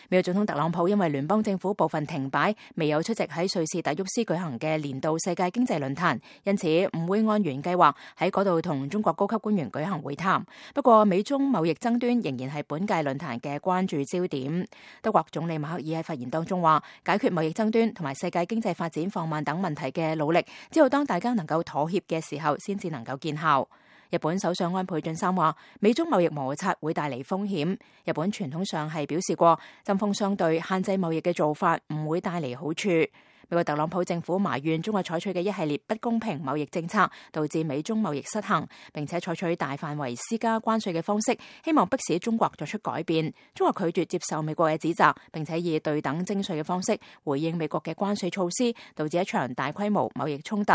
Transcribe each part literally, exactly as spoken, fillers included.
美國總統特朗普因為聯邦政府部分停擺，未有出席喺瑞士達沃斯舉行嘅年度世界經濟論壇，因此唔會按原計劃喺嗰度同中國高級官員舉行會談。不過，美中貿易爭端仍然係本屆論壇嘅關注焦點。德國總理默克爾喺發言當中話，解決貿易爭端同埋世界經濟發展放慢等問題嘅努力，只有當大家能夠妥協嘅時候，先至能夠見效。日本首相安倍晉三話，美中貿易摩擦會帶嚟風險。日本傳統上係表示過，針鋒相對、限制貿易嘅做法唔會帶嚟好處。美國特朗普政府埋怨中國採取嘅一系列不公平貿易政策，導致美中貿易失衡，並且採取大範圍施加關稅嘅方式，希望迫使中國作出改變。中國拒絕接受美國嘅指責，並且以對等徵稅嘅方式回應美國嘅關稅措施，導致一場大規模貿易衝突。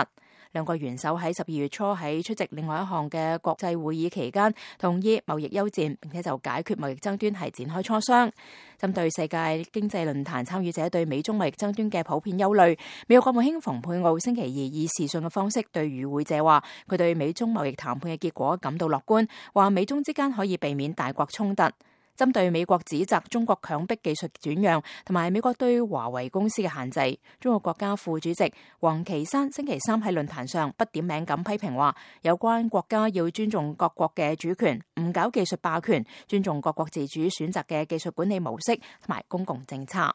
兩個元首喺十二月初喺出席另外一項嘅國際會議期間，同意貿易休戰，並且就解決貿易爭端係展開磋商。針對世界經濟論壇參與者對美中貿易爭端嘅普遍憂慮，美國國務卿蓬佩奧星期二以視訊嘅方式對與會者話，佢對美中貿易談判嘅結果感到樂觀，話美中之間可以避免大國衝突。針對美國指責中國強迫技術轉讓同埋美國對華為公司嘅限制，中國國家副主席王岐山星期三喺論壇上不點名咁批評話，有關國家要尊重各國嘅主權，唔搞技術霸權，尊重各國自主選擇嘅技術管理模式同埋公共政策。